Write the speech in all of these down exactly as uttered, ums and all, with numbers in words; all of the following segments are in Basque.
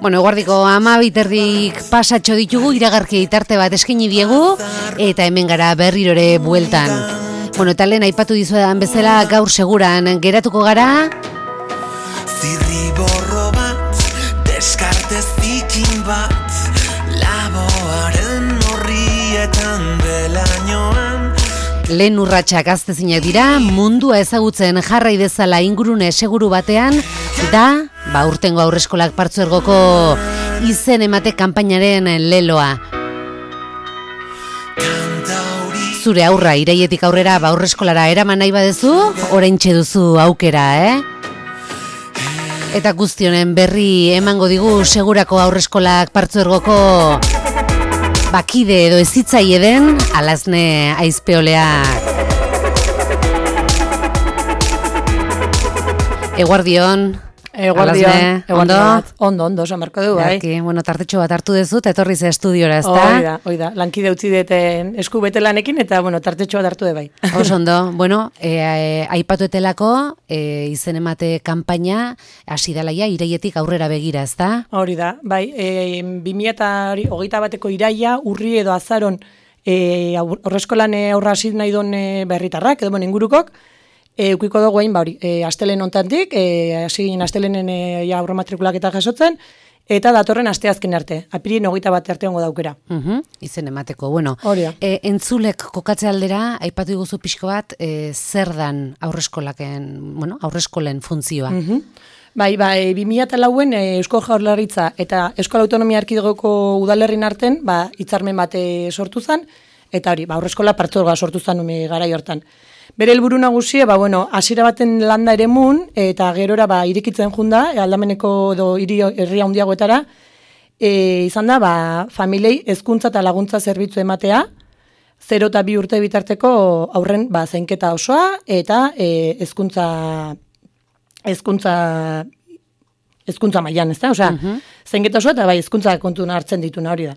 Bueno, eguardiko amabiterdik pasatxo ditugu, iragarki tarte bat eskaini diegu, eta hemen gara berrirore bueltan. Bueno, eta lehen aipatu dizuedan bezala gaur seguran geratuko gara. Zirriborro bat, deskarte zikin bat, laboaren horrietan belainoan. Lehen urratsak aztezinak dira, mundua ezagutzen jarrai dezala ingurune seguru batean, da, ba, urtengo aurreskolak partzuergoko izen emate kanpainaren leloa. Zure aurra iraietik aurrera ba aurreskolara eraman nahi badezu, oraintxe duzu aukera, eh? Eta guztionen berri emango digu segurako aurreskolak partzuergoko bakide edo ezitzaile den Alazne Aizpeoleak. Eguardion, Eguardion, ondo? Ondo, ondo, esan marko du, bai. Eki, bueno, tartetxo bat hartu dezut, etorri ze estudiora, ez da? Oida, oida, lankide utzi deten esku bete lanekin, eta, bueno, tartetxo bat hartu de bai. Oso ondo, bueno, e, e, aipatu etelako, e, izen emate kanpaina, hasi dalaia, iraietik aurrera begira, ez da? Hori da, bai, e, bi mila hogeita bateko iraia, urri edo azaron, e, aurreskolan aurra hasi nahi don e, berritarrak, edo bon ingurukok, E, ukiko dugu hain, ba hori, e, astelen ontantik, e, hasi ginen astelenen e, ja, aurro matrikulak eta jasotzen, eta datorren asteazken arte, apirin hogeita bat arte ongo daukera. Uh-huh, izen emateko, bueno. Hori da. E, entzulek kokatze aldera, aipatu diguzu pixko bat, e, zer dan aurreskolaken, bueno, aurreskolen funtzioa. Uh-huh. Bai, ba, e, bi mila lauen e, Eusko Jaurlaritza eta Euskal Autonomia Erkidegoko udalerrin arten, ba, hitzarmen bat e, sortu zen, eta hori, ba, aurreskola partzuergoa sortu zen ume garai hortan. Bere helburu nagusia, ba, bueno, hasiera baten landa eremun, eta gerora ba, irikitzen junda, aldameneko edo hiri herria handiagoetara, e, izan da, ba, familiei hezkuntza eta laguntza zerbitzu ematea, zero eta bi urte bitarteko aurren ba, zainketa osoa, eta e, hezkuntza hezkuntza hezkuntza mailan, ez da? Osea, uh-huh. Zainketa osoa, eta bai, hezkuntza kontuna hartzen dituna hori da.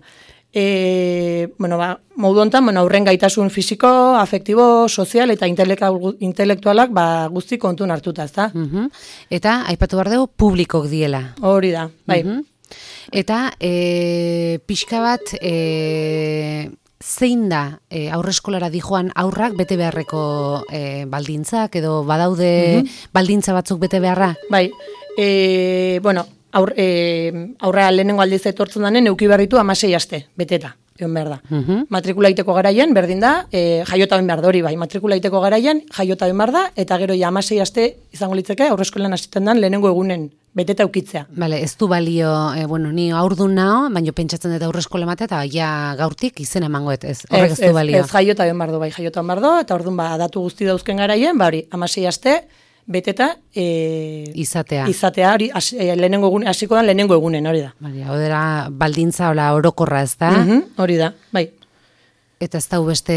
E, bueno, ba, modu hontan, bueno, aurren gaitasun fisiko, afektibo, sozial eta intelektualak ba, guzti kontun hartuta, ez da? Uh-huh. Eta, aipatu behar dugu, publikok diela. Hori da, bai. Uh-huh. Eta, e, pixka bat, e, zein da e, aurreskolara dijoan aurrak bete beharreko e, baldintzak, edo badaude uh-huh. baldintza batzuk bete beharra? Bai, e, bueno, Aur, e, aurra lehenengo aldiz etortzen danen euki berritu amasei aste, beteta, egon behar da. Uh-huh. Matrikula iteko garaian, berdin da, e, jaiota ben behar da hori bai, matrikula iteko garaian, jaiota ben behar da, eta gero ja amasei aste izango litzeke, aurreskolan hasiten dan lehenengo egunen, beteta eukitzea. Bale, ez du balio, e, bueno, ni aurdun nao, baina pentsatzen dut aurreskola matea, eta ja gaurtik izen emangoet, ez, horrek ez, ez du balio. Ez, ez jaiota ben behar du, bai, jaiota ben behar du, eta orduan ba, datu guzti dauzken garaien, ba hori, amasei aste, beteta e, izatea. Izatea, hori, as, e, lehenengo egun, hasiko da lehenengo egunen, hori da. Bale, hori baldintza, hola, orokorra, ez da? Uh-huh, hori da, bai. Eta ez da beste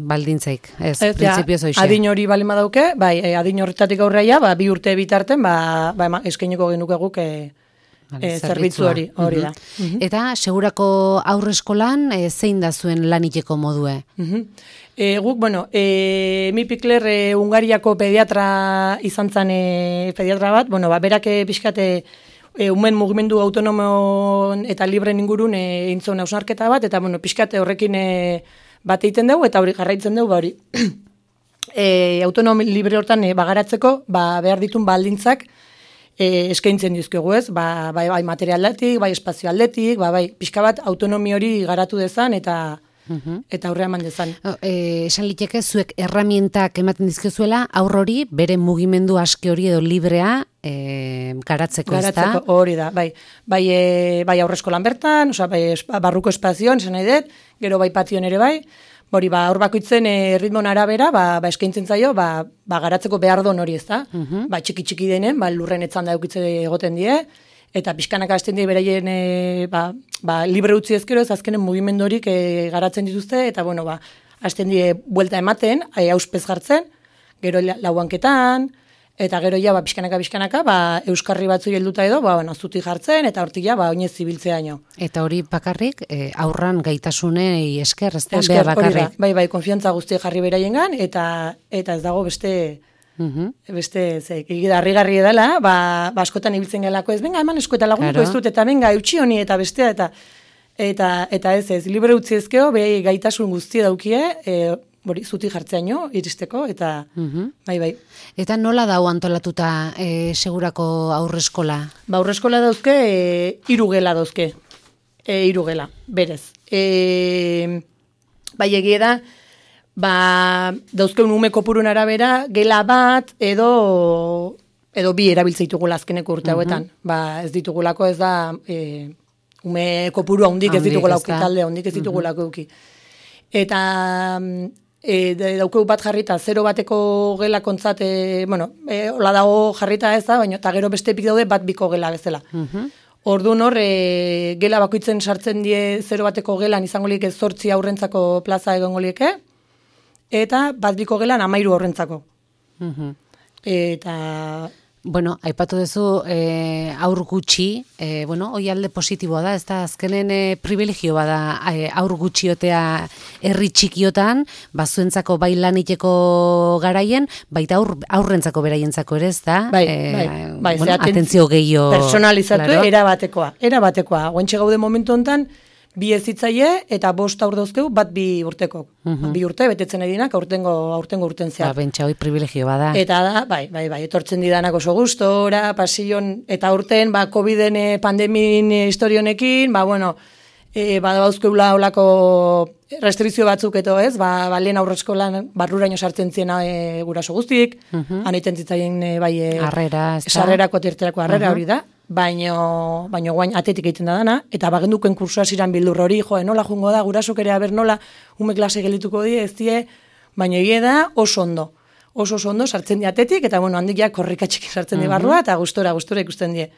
baldintzaik, ez, ez prinsipioz hoxe. Adin hori balima dauke, bai, e, adin horretatik aurreia, ba, bi urte bitarten, ba, ba eskainiko genuke guk, e, e, zerbitzu hori, hori uh-huh. da. Uh-huh. Eta, segurako aurreskolan, e, zein da zuen laniteko modue? Uh-huh. E, guk, bueno, e, mi Pikler e, Ungariako pediatra izan zen e, pediatra bat, bueno, ba, berak pixkate e, umen mugimendu autonomo eta libren ingurun e, intzon hausnarketa bat, eta bueno, pixkate horrekin e, bat egiten dugu, eta hori jarraitzen dugu, ba, hori e, autonomi libre hortan e, bagaratzeko, ba, behar ditun baldintzak e, eskaintzen dizkegu ez, ba, bai, bai material aldetik, bai espazio aldetik, ba, bai pixka bat autonomi hori garatu dezan, eta Uhum. Eta aurre eman dezan. E, esan liteke, zuek erramientak ematen dizkezuela, aurrori, bere mugimendu aske hori edo librea e, garatzeko, ez da? Garatzeko, hori da, bai. Bai, e, bai aurreskolan bertan, oza, bai, barruko espazioan, esan nahi dut, gero bai patioan ere bai, hori, ba, hor bakoitzen e, ritmon arabera, ba, ba eskaintzen zaio, ba, ba garatzeko behar don hori, ez da? Uhum. Ba, txiki-txiki denen, ba, lurren etzan da eukitze egoten die, eta pixkanaka hasten die beraien e, ba, ba, libre utzi ezkero ez azkenen mugimendorik e, garatzen dituzte, eta bueno, ba, hasten die buelta ematen, e, auspez jartzen, gero lauanketan, eta gero ja, ba, pixkanaka, pixkanaka, ba, euskarri batzu helduta edo, ba, bueno, zuti jartzen, eta hortik ja, ba, oinez zibiltzea ino. Eta hori bakarrik, e, aurran gaitasunei esker, ez da, beha bakarrik. Bai, bai, konfiantza guzti jarri beraiengan, eta, eta ez dago beste Mhm. Beste, ze, harrigarri edala, ba, ba askotan ibiltzen gelako ez, venga, eman esku eta lagunko Claro. ez dut, eta venga, eutxi honi, eta bestea, eta eta eta ez ez, libre utzi ezkeo, behi gaitasun guzti daukie, e, bori, zuti jartzeaino, iristeko, eta Mhm. bai, bai. Eta nola dau antolatuta e, segurako aurreskola? Ba, aurreskola dauzke, e, hiru gela dauzke, e, hiru gela, berez. E, bai, egie da, ba, dauzkeun ume kopurun arabera, gela bat edo edo bi erabiltze ditugula azkeneko urte hauetan. Ba, ez ditugulako ez da e, ume kopuru handik ez Handik ditugulako ez da. talde handik ez ditugulako eduki. Eta e, de- daukeu bat jarrita, zero bateko gela kontzat, e, bueno, e, hola dago jarrita ez da, baina eta gero beste epik daude bat biko gela bezala. Orduan hor, e, gela bakoitzen sartzen die zero bateko gelan izango lieke zortzi aurrentzako plaza egongo lieke, eta bat biko gelan amairu aurrentzako. Mhm. Eta, Bueno, aipatu duzu e, aur gutxi, e, bueno, hoi alde positiboa da, ez da azkenen e, privilegio bada e, aur gutxiotea herri txikiotan, bazuentzako bai laniteko garaien, baita aur, aurrentzako beraientzako ere, ez da? bai, E, bai, bai, bueno, ze aten- atentzio gehiago. personalizatu, claro. era batekoa, era batekoa. Guantxe gaude momentu hontan, bi ezitzaile eta bost aur dauzkeu, bat bi urteko. Bi urte, betetzen edinak, aurtengo, aurtengo urten Ba, zehar. bentsa hoi privilegio bada. Eta da, bai, bai, bai, etortzen didanak oso gustora, pasion, eta urten, ba, Coviden eh, pandemin eh, historionekin, ba, bueno, e, ba, dauzkeula olako restrizio batzuk eto ez, ba, ba lehen aurreskolan barruraino sartzen ziena e, guraso guztik, han egiten zitzaien e, bai, e, Harrera, ez da? sarrerako terterako harrera hori da, baino, baino guain atetik egiten da dana, eta bagenduken kursu hasiran bildur hori, jo, nola jungo da, gurasok ere aber nola, ume klase gelituko die, ez die, baina egie da oso ondo. Oso oso ondo sartzen di atetik, eta bueno, handik ja korrikatxik sartzen di barrua, eta gustora, gustora ikusten die.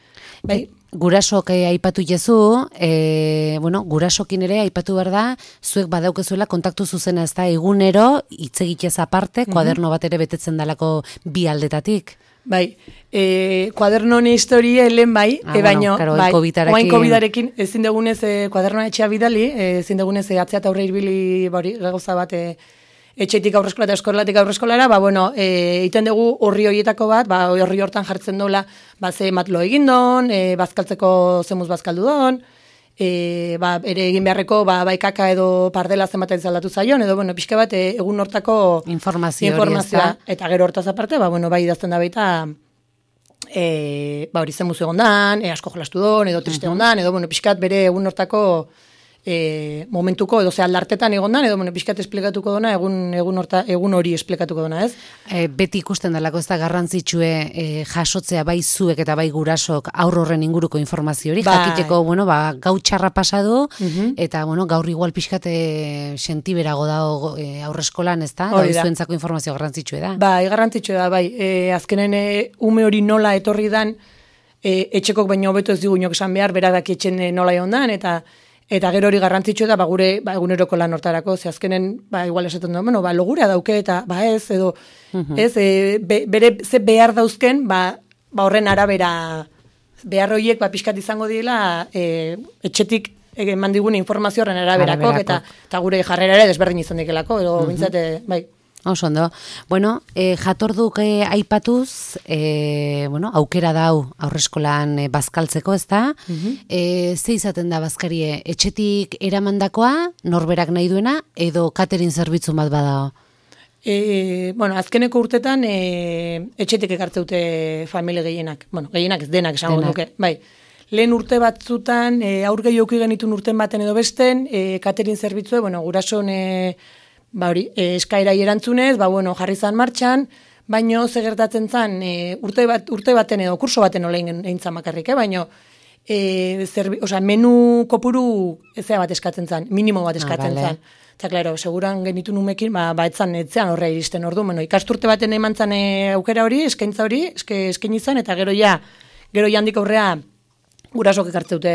Bai, Gurasok eh, aipatu jezu, e, bueno, gurasokin ere aipatu behar da, zuek badaukezuela kontaktu zuzena, ez da, egunero, hitz egitez aparte, kuaderno bat ere betetzen dalako bi aldetatik. bai, e, kuadernon historie lehen bai, Ah, e, bueno, baino, claro, bai, COVIDarekin- oain COVIDarekin ezin dugunez e, kuadernoa etxea bidali, e, ezin dugunez e, atzea eta aurre ibili bori, gauza bat, e, etxetik aurreskola eta eskolatik aurreskolara, ba, bueno, e, iten dugu horri horietako bat, ba, horri hortan jartzen dola, ba, ze matlo egin don, e, bazkaltzeko zemuz bazkaldu don, e, ba, ere egin beharreko, ba, bai kaka edo pardela zenbat aldatu zaion, edo, bueno, pixka bat, e, egun hortako Informazio hori, informazioa, ez da? eta gero hortaz aparte, ba, bueno, bai idazten da baita, e, ba, hori zemuz egon dan, e, asko jolastu don, edo triste egon dan, edo, bueno, pixkat bere egun hortako e, momentuko, edo ze aldartetan egon dan, edo, bueno, pixkat esplikatuko dona, egun, egun, horta, egun hori esplikatuko dona, ez? E, beti ikusten dalako ez da garrantzitsue e, jasotzea bai zuek eta bai gurasok aur horren inguruko informazio hori, Bai. jakiteko, bueno, ba, gau txarra pasadu, eta, bueno, gaur igual pixkat e, sentiberago dago e, aurreskolan, ez da? Hori da. Zuentzako informazio garrantzitsue da. Bai, garrantzitsua da, bai, e, azkenen e, ume hori nola etorri dan, e, etxekok baino hobeto ez digu inok esan behar, berak daki etxen e, nola egon dan, eta Eta gero hori garrantzitsua da, ba, gure ba, eguneroko lan hortarako, ze azkenen, ba, igual esaten du, bueno, ba, logurea dauke, eta, ba, ez, edo, ez, e, be, bere, ze behar dauzken, ba, ba, horren arabera, behar horiek, ba, pixkat izango diela, e, etxetik eman digun informazio horren araberako, Araberako. eta, eta gure jarrera ere desberdin izan dikelako, edo, bintzate, bai. Oso ondo. Bueno, e, jatorduk e, aipatuz, e, bueno, aukera dau aurreskolan e, bazkaltzeko, ez da? e, ze izaten da bazkarie, etxetik eramandakoa, norberak nahi duena, edo catering zerbitzu bat badao? E, bueno, azkeneko urtetan e, etxetik ekartzeute familie gehienak. Bueno, gehienak ez denak esango Denak. duke. Bai. Lehen urte batzutan, e, aur gehi auki genitun urten baten edo besten, e, catering zerbitzue, bueno, gurason e, ba hori, e, eskaerai erantzunez, ba bueno, jarri zan martxan, baino ze gertatzen zan, e, urte bat urte baten edo kurso baten nola egin zan bakarrik, eh? baino e, zerbi, osea, menu kopuru ezea bat eskatzen zan, minimo bat eskatzen Ah, vale. zan. Eta, klaro, seguran genitu numekin, ba, ba etzan, etzean horre iristen ordu. Bueno, ikasturte baten eman zan e, aukera hori, eskaintza hori, eske, eskaini zan, eta gero ja, gero ja handik aurrea, gurasok ekartzeute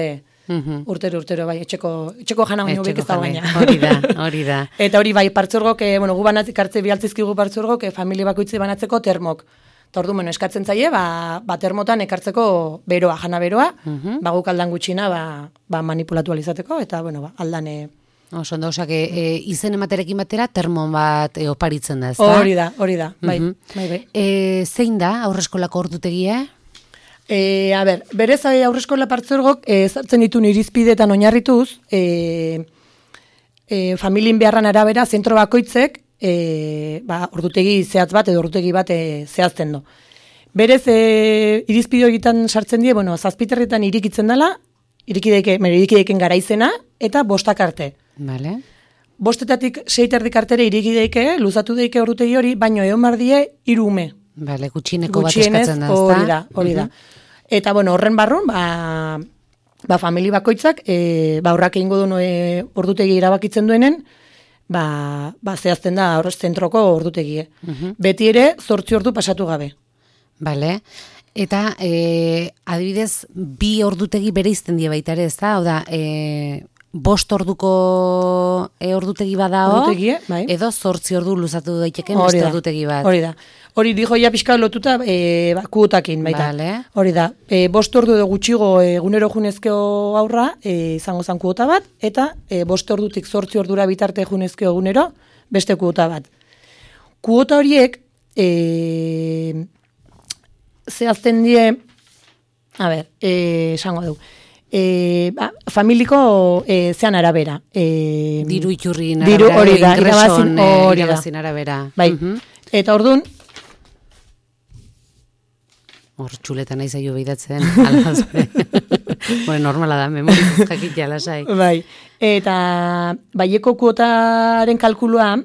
urtero, urtero, bai, etxeko, etxeko jana baino bek ez da baina. Hori da, hori da. Eta hori bai, partzuergok, eh, bueno, gu banatzik hartze bialtzizkigu partzuergok, eh, familie bakoitzi banatzeko termok. Eta ordu, bueno, eskatzen zaie, ba, ba termotan ekartzeko beroa, jana beroa, ba guk aldan gutxina, ba, ba manipulatu alizateko, eta, bueno, ba, aldan, eh, Oso ondo, osak, e, izen ematerekin batera termon bat e, oparitzen da, ez da? Hori da, hori da, bai, Mhm. bai, bai. E, zein da aurreskolako ordutegia? E, a ber, berez aurreskola partzuergok e, zartzen ditun irizpideetan oinarrituz, e, e, familien beharran arabera zentro bakoitzek e, ba, ordutegi zehatz bat edo ordutegi bat e, zehazten do. Berez e, irizpide horietan sartzen die, bueno, zazpiterritan irikitzen dela, irikideke, irikideken garaizena eta bostak arte. Vale. Bostetatik seiterdik artere irikideike, luzatu deike ordutegi hori, baino egon bardie hiru ume. Vale, gutxieneko bat Gutxienez, eskatzen da, ez da? hori da, hori da. Eta, bueno, horren barrun, ba, ba famili bakoitzak, e, ba, horrak egingo duen e, ordutegi erabakitzen duenen, ba, ba zehazten da horrez zentroko ordutegie. Beti ere, zortzi ordu pasatu gabe. Bale. Eta, e, adibidez, bi ordutegi bere izten die baita ere, ez da? Hau da, e, bost orduko e, ordutegi badao, Ordutegie, bai. edo zortzi ordu luzatu daiteken Hori beste da, ordutegi bat. Hori da. Hori dijo ja pixka lotuta e, ba, kuotakin baita. Vale. Hori da. E, bost ordu edo gutxigo egunero junezkeo aurra e, izango zan kuota bat, eta e, bost ordutik zortzi ordura bitarte junezkeo egunero beste kuota bat. Kuota horiek e, zehazten die, a ber, e, esango dugu, e, ba, familiko e, zean arabera. E, Diru iturrin diru, arabera, hori da, ingreson, irabazin, eh, hori da. irabazin arabera. Bai. Mhm. Eta orduan, Hor txuleta nahi zaio behidatzen, alaz. Bueno, normala da, memoriz jakitea lasai. bai. Eta baieko kuotaren kalkulua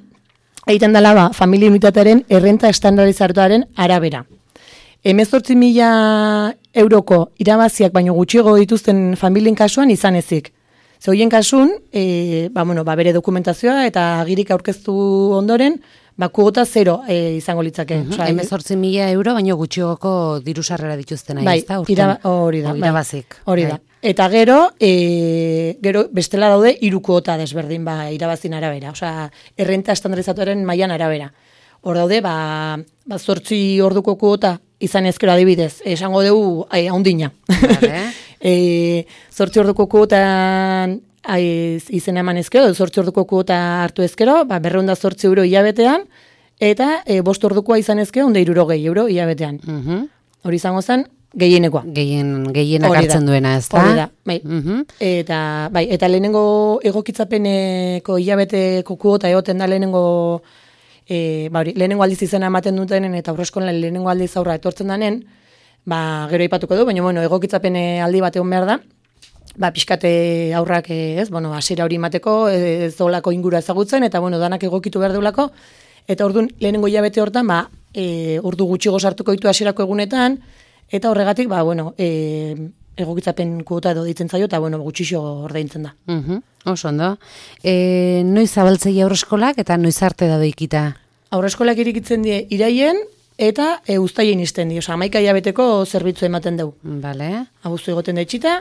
egiten dela ba, familia unitatearen errenta estandarizatuaren arabera. Hemezortzi mila euroko irabaziak baino gutxiago dituzten familien kasuan izan ezik. Ze horien kasun, e, ba, bueno, ba, bere dokumentazioa eta agirik aurkeztu ondoren, ba, kuota zero e, izango litzake. Mhm. Osea, Hemezortzi mila euro, baino gutxiagoko diru sarrera dituzten nahi, bai, ez da? urten? iraba- hori da. O, bai. irabazik. Hori da. Bai. Eta gero, e, gero bestela daude hiru kuota desberdin ba, irabazin arabera. Osea, errenta estandarizatuaren mailan arabera. Hor daude, ba, ba zortzi orduko kuota izan ezkero adibidez, esango dugu e, haundina. Vale. e, zortzi orduko kuotan aiz, izena eman ezkero, zortzi orduko kuota hartu ezkero, ba, berreunda zortzi euro hilabetean, eta e, bost ordukoa izan ezkero, onde irurogei euro hilabetean. Mhm. Hori izango zen, gehienekoa. Gehien, gehienak Hori da. hartzen duena, ez da? Hori da, bai. Mhm. Eta, bai, eta lehenengo egokitzapeneko hilabeteko kuota egoten da lehenengo, e, ba, hori, lehenengo aldiz izena ematen dutenen eta aurreskolan lehenengo aldiz aurra etortzen danen, ba, gero aipatuko du, baina, bueno, egokitzapen aldi bat egon behar da, ba, pixkate aurrak, ez, bueno, hasiera hori mateko, ez dolako ingura ezagutzen, eta, bueno, danak egokitu behar deulako, eta orduan, lehenengo hilabete hortan, ba, e, ordu gutxigo sartuko ditu hasierako egunetan, eta horregatik, ba, bueno, e, egokitzapen kuota edo ditzen zaio, eta, bueno, gutxixo ordaintzen da. Mhm. Oso ondo. E, noiz zabaltzei aurreskolak eta noiz arte da doikita? Aurreskolak irikitzen die iraien, eta e, uztaien izten die, oza, hamaika hilabeteko zerbitzu ematen dugu. Bale. Abuztu egoten da itxita,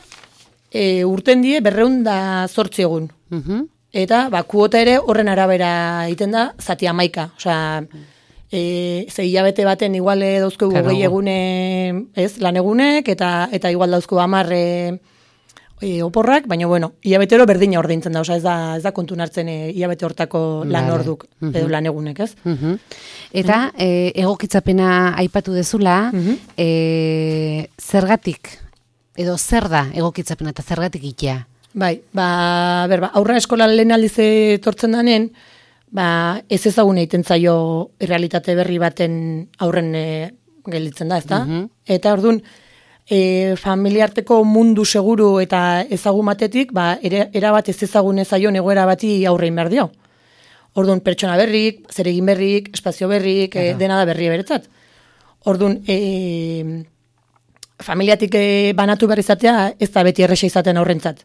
e, urten die berreun da zortzi egun. Mhm. Eta, ba, kuota ere horren arabera egiten da, zati hamaika. Osea, e, ze hilabete baten igual dauzko Claro. hogei egune, ez, lan egunek, eta eta igual dauzko hamar e, e, oporrak, baina, bueno, hilabetero berdina ordaintzen da, osea, ez da, ez da kontun hartzen e, hilabete hortako lan Vale. orduk, edo lan egunek, ez? Mhm. Eta e, egokitzapena aipatu dezula, Mhm. e, zergatik, edo zer da egokitzapena eta zergatik itea? Bai, ba, ber, ba, aurra eskolan lehen aldiz etortzen danen, ba, ez ezagun egiten zaio errealitate berri baten aurren e, gelditzen da, ezta? Mhm. Eta orduan, e, familiarteko mundu seguru eta ezagun batetik, ba, ere, erabat ez ezagun ezaion egoera bati aurrein behar dio. Orduan, pertsona berrik, zeregin berrik, espazio berrik, e, dena da berri beretzat. Orduan, e, familiatik e, banatu behar izatea, ez da beti erresa izaten aurrentzat.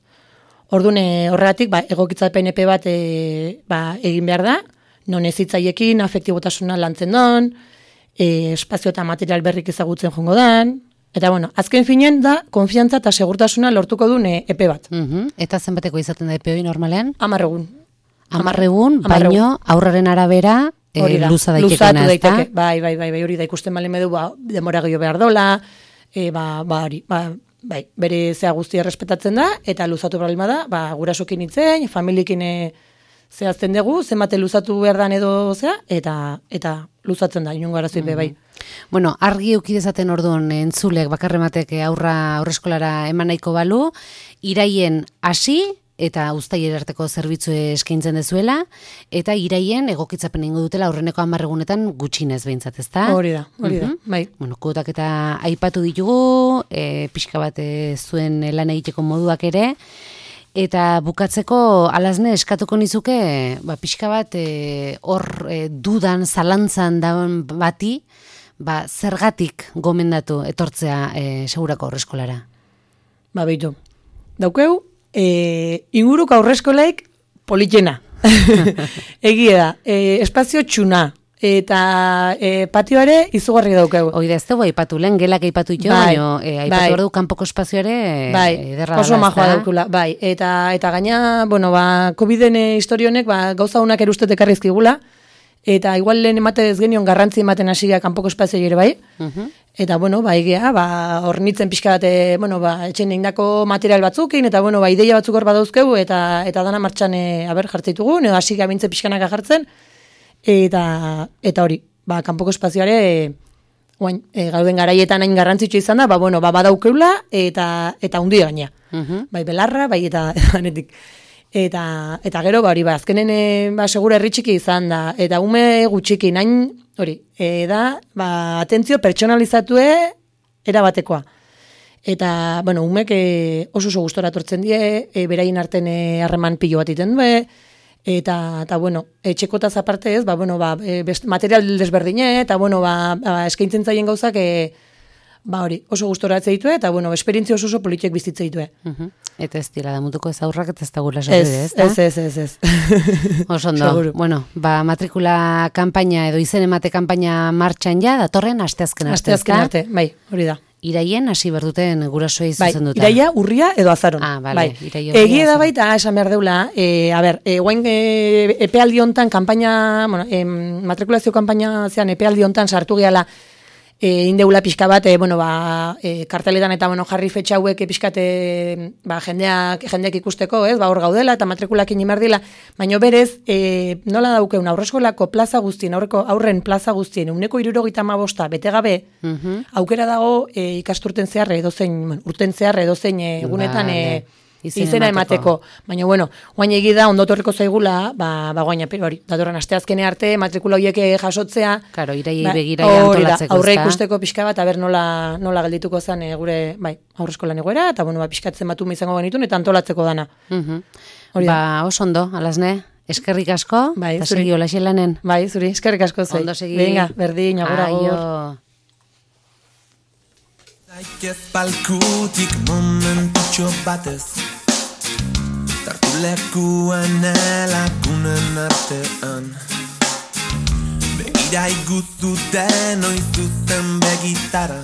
Orduan, e, horregatik, ba, egokitzapen epe bat e, ba, egin behar da, non ezitzaiekin, afektibotasuna lantzen don, e, espazio eta material berrik ezagutzen jongo dan, eta bueno, azken finen da, konfiantza eta segurtasuna lortuko duen e, epe bat. Mhm. Eta zenbateko izaten da epe hori normalean? Amarregun. Amarregun, Hamar egun. baino aurraren arabera e, Hori da, luza luzatu daitekena, ez da? daiteke. Bai, bai, bai, bai, hori da ikusten balen medu, ba, demora gehiago behar dola, e, ba, ba, hori, ba, bai, bere zea guztia errespetatzen da, eta luzatu problema da, ba, gurasokin itzen, familiekin e, zehazten dugu, zenbate luzatu behar dan edo zea, eta eta luzatzen da, inongo arazoik mm-hmm. bai. Bueno, argi eukidezaten orduan entzulek bakarrematek aurra aurreskolara eman nahiko balu, iraien hasi eta uztailera arteko zerbitzu eskaintzen dezuela, eta iraien egokitzapen egingo dutela aurreneko hamar egunetan gutxinez behintzat, ezta? Hori da, hori da, mm-hmm. bai. Bueno, kuotak eta aipatu ditugu, e, pixka bat e, zuen lan egiteko moduak ere, eta bukatzeko alazne eskatuko nizuke, ba, pixka bat hor e, dudan, zalantzan dauen bati, ba, zergatik gomendatu etortzea e, segurako aurreskolara? Ba, behitu. Daukeu, e, inguruko aurreskolaik politena. Egia da, e, espazio txuna. Eta e, patioare izugarri daukegu. Oida, ez dugu aipatu, lehen gelak aipatu ito, bai, baina e, aipatu bai. Ordu kanpoko espazioare bai, ederra oso majoa daukula, bai. Eta, eta gaina, bueno, ba, COVID-en historionek, ba, gauza honak erustetek arrizkigula, eta igual lehen emate ez genion garrantzi ematen hasiak kanpoko espazio ere bai, uh-huh. Eta, bueno, ba, egia, ba, hornitzen pixka bat, bueno, ba, etxen egindako material batzukin, eta, bueno, ba, ideia batzuk hor badauzkegu, eta, eta dana martxan, e, haber, jartzeitugu, edo hasi gabintze pixkanaka jartzen, Eta, eta hori, ba, kanpoko espazioare, e, oain, e, gauden garaietan hain garrantzitsu izan da, ba, bueno, ba, badaukeula, eta, eta hundi gaina. Uh-huh. Bai, belarra, bai, eta, eta, eta, eta gero, ba, hori, ba, azkenen, e, ba, segura herritxiki izan da, eta ume gutxiki, nain, hori, e, da, ba, atentzio pertsonalizatue erabatekoa. Eta, bueno, umek e, oso oso gustora tortzen die, e, beraien arten harreman pilo bat iten due, Eta, eta, bueno, etxekotaz aparte ez, ba, bueno, ba, e, best, material desberdine, eta, bueno, ba, ba, eskaintzen zaien gauzak, e, ba, hori, oso gustoratze ditue, eta, bueno, esperientzia oso oso politiek bizitze ditue. Uh-huh. Eta ez dira, damutuko ez aurrak, eta ez da gula sorride, ez, ez, ez, ez, ez. Oso ondo, bueno, ba, matrikula kanpaina edo izen emate kanpaina martxan ja, datorren asteazken arte, asteazken arte, bai, hori da. Iraien hasi berduten gurasoei zuzenduta. Bai, iraia, urria edo azaron. Ah, bale, bai. Iraia, egia da baita, esan behar deula, e, a ber, e, guain e, epealdi hontan kanpaina, bueno, e, matrikulazio kanpaina zean epealdi hontan sartu gehala, e, indeula pixka bat, e, bueno, ba, e, karteletan eta, bueno, jarri fetxa hauek e, pixkate, ba, jendeak, jendeak ikusteko, ez, ba, hor gaudela, eta matrikulakin imardila, baina berez, e, nola daukeun, aurreskolako plaza guztien, aurreko aurren plaza guztien, uneko irurogeita hamabosta, bete gabe, uh-huh. aukera dago, e, ikasturten zeharre, edozein, bueno, urten zeharre, edozein e, egunetan, vale. e, izena emateko. Baina, bueno, guain egida, ondotorreko zaigula, ba, ba guain, hori, datorren asteazkene arte, matrikula horiek jasotzea. Karo, iraiei ba, begira antolatzeko. Aurre ikusteko pixka bat, aber nola, nola geldituko zen e, gure, bai, aurreskolan egoera, eta, bueno, ba, pixkatzen batu izango genitun, eta antolatzeko dana. Uh-huh. Ba, oso ondo, alazne, eskerrik asko, bai, eta segi hola xelanen. Bai, zuri, eskerrik asko zai. Ondo segi. Venga, berdin, agora gor. Zaitez palkutik momentutxo batez, tartu lekuan elakunen artean, begira iguzu denoi zuzen begitara,